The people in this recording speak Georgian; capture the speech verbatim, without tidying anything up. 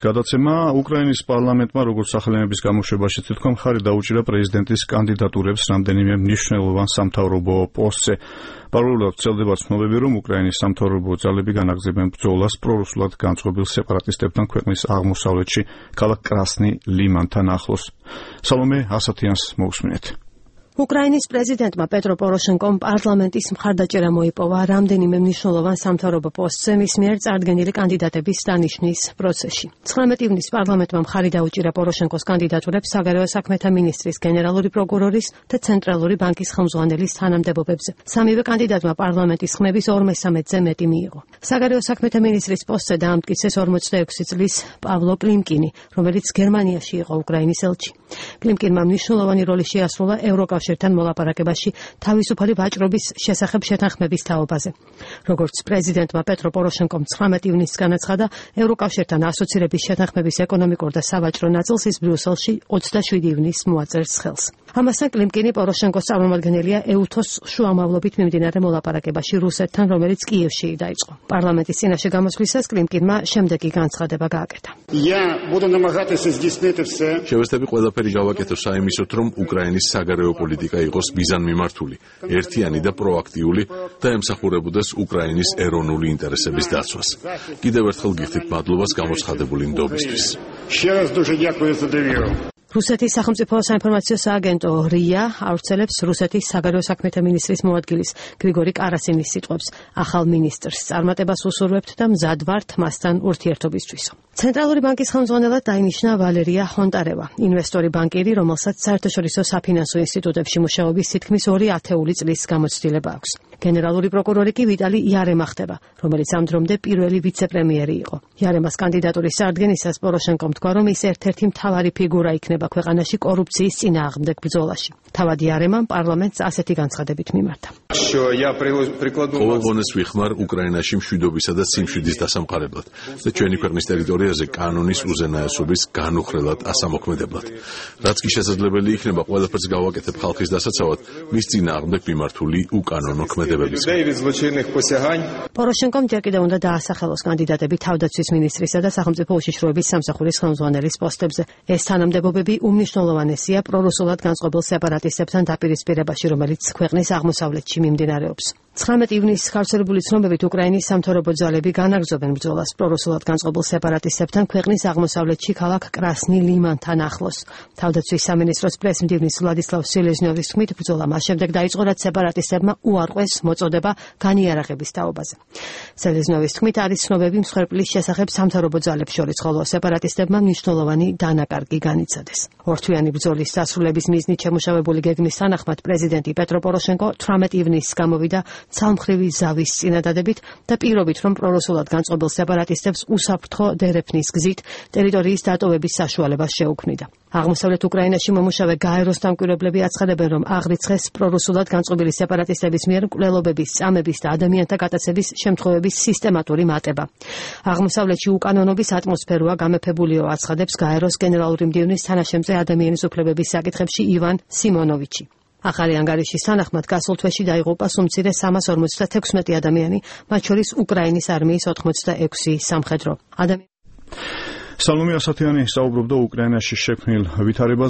გადაცემა უკრაინის პარლამენტმა როგორც სახელმწიფოს გამოშვებაში თვითონ მხარი დაუჭირა პრეზიდენტის კანდიდატურებს რამდენიმე მნიშვნელოვან სამთავრობო პოსტზე. Parallelად ვრცელდება ცნობები, რომ უკრაინის სამთავრობო ძალები განაგრძობენ ბრძოლას პრორუსულად განწყობილ სეპარატისტებთან ქვეყნის აღმოსავლეთში, ქალაქ კრასნი ლიმანთან ახლოს. სალომე ასათიანს მოусმინეთ. უკრაინის პრეზიდენტმა პეტრო პოროშენკომ პარლამენტის მხარდაჭერა მოიპოვა რამდენიმე მნიშვნელოვან სამთავრობო პოსტზე მის მიერ წარდგენილი კანდიდატების დანიშვნის პროცესში. ცხრამეტ ივნისს პარლამენტმა მხარი დაუჭირა პოროშენკოს კანდიდატურებს საგარეო საქმეთა მინისტრის, გენერალური პროკურორის და ცენტრალური ბანკის ხელმძღვანელის თანამდებობებზე. სამივე კანდიდატმა პარლამენტის ხმების ორმესამედზე მეტი მიიღო. საგარეო საქმეთა მინისტრის პოსტზე დაამტკიცეს ორმოცდაექვსი წლის პავლო კლიმკინი, რომელიც გერმანიაში იყო უკრაინის ელჩი. კლიმკინმა მნიშვნელოვანი როლი შეასრულა ევროკავშირთან მოლაპარაკებაში თავისუფალი ვაჭრობის შესახებ შეთანხმების თაობაზე. როგორც პრეზიდენტმა პეტრო პოროშენკომ ცხრამეტ ივნისს განაცხადა, ევროკავშირთან ასოცირების შეთანხმების ეკონომიკურ და სავაჭრო ნაწილს ის ბრიუსელში ოცდაშვიდი ივნისს მოაწერს ხელს. ამასთან კლიმკინი პოროშენკოს წარმომადგენელია ეუთოს შუამავლობით მიმდინარე მოლაპარაკებაში რუსეთთან, რომელიც კიევში დაიწყო. პარლამენტის წინაშე გამოსვლისას კლიმკინმა შემდეგი განცხადება გააკეთა. შევეცდები ყველაფერი გავაკეთო საიმისოდ, რომ უკრაინის საგარეო პოლიტიკა იყოს მიზანმიმართული, ერთიანი და პროაქტიული და ემსახურებოდეს უკრაინის ეროვნული ინტერესების დაცვას. კიდევ ერთხელ გიხდით მადლობას გამოცხადებული ნდობისთვის. რუსეთის სახელმწიფო საინფორმაციო სააგენტო რია ავრცელებს რუსეთის საგარეო საქმეთა მინისტრის მოადგილის გრიგორი კარასინის სიტყვებს. ახალ მინისტრს წარმატებას უსურვებთ და მზად ვართ მასთან ურთიერთობისთვის. ცენტრალური ბანკის ხელმძღვანელად დაინიშნა ვალერია ჰონტარევა, ინვესტორი ბანკირი, რომელსაც საერთაშორისო საფინანსო ინსტიტუტებში მუშაობის თითქმის ორი ათეული წლის გამოცდილება აქვს. გენერალური პროკურორი კი ვიტალი იარემა ხდება, რომელიც ამ დრომდე პირველი ვიცე-პრემიერი იყო. იარემას კანდიდატურის წარდგენისას პოროშენკომ თქვა, რომ ის ერთ-ერთი მთავარი ფიგურა იქნება ქვეყანაში კორუფციის წინააღმდეგ ბრძოლაში. თავად იარემამ პარლამენტს ასეთი განცხადებით მიმართა. ყოველ ღონეს ვიხმარ უკრაინაში მშვიდობისა და სიმშვიდის დასამყარებლად და ჩვენი ქვეყნის ტერიტორიაზე კანონის უზენაესობის განუხრელად ასამოქმედებლად. რაც კი შესაძლებელი იქნება, ყველაფერს გავაკეთებ ხალხის დასაცავად, მის წინააღმდეგ მიმართული უკანონო ქმედებების. პოროშენკომ ჯერ კიდევ უნდა დაასახელოს კანდიდატები თავდაცვის მინისტრისა და სახელმწიფო უშიშროების სამსახურის ხელმძღვანელის პოსტებზე. ეს თანამდებობები უმნიშვნელოვანესია პრორუსულად განწყობილ სეპარატისტებთან დაპირისპირებაში, რომელიც ქვეყნის აღმოსავლეთში მიმდინარეობს. ცხრამეტ ივნისს გავრცელებული ცნობებით უკრაინის სამთავრობო ძალები განაგრძობენ ბრძოლას პრორუსულად განწყობილ სეპარატისტებთან ქვეყნის აღმოსავლეთში ქალაქ კრასნი ლიმანთან ახლოს. თავდაცვის სამინისტროს პრესმდივნის ვლადისლავ სელეზნიოვის თქმით, ბრძოლა მას შემდეგ დაიწყო, რაც სეპარატისტებმა უარყვეს მოწოდება განიარაღების თაობაზე. სელეზნიოვის თქმით, არის ცნობები მსხვერპლის შესახებ სამთავრობო ძალებს შორის, ხოლო სეპარატისტებმა მნიშვნელოვანი დანაკარგი განიცადეს. ორთვიანი ბრძოლის დასრულების მიზნით შემუშავებული გეგმის თანახმად პრეზიდენტი პეტრო პოროშენკო ცხრამეტ ივნისს გამოვიდა ცალმხრივი ზავის წინადადებით და პირობით, რომ პრორუსულად განწყობილ სეპარატისტებს უსაფრთხო დერეფნის გზით ტერიტორიის დატოვების საშუალებას შეუქმნიდა. აღმოსავლეთ უკრაინაში მომუშავე გაეროს დამკვირვებლები აცხადებენ, რომ აღრიცხეს პრორუსულად განწყობილი სეპარატისტების მიერ მკვლელობების, წამების და ადამიანთა გატაცების შემთხვევების სისტემატური მატება. აღმოსავლეთში უკანონობის ატმოსფეროა გამეფებულიო, აცხადებს გაეროს გენერალური მდივნის თანაშემწე ადამიანის უფლებების საკითხებში ივან სიმონოვიჩი. ახალი ანგარიშის თანახმად გასულ თვეში დაიღუპა სუმცირე სამას ორმოცდათექვსმეტი ადამიანი, მათ შორის უკრაინის არმიის ოთხმოცდაექვსი სამხედრო ადამიანი. სალომე ასათიანი საუბრობდა უკრაინაში შექმნილ ვითარებას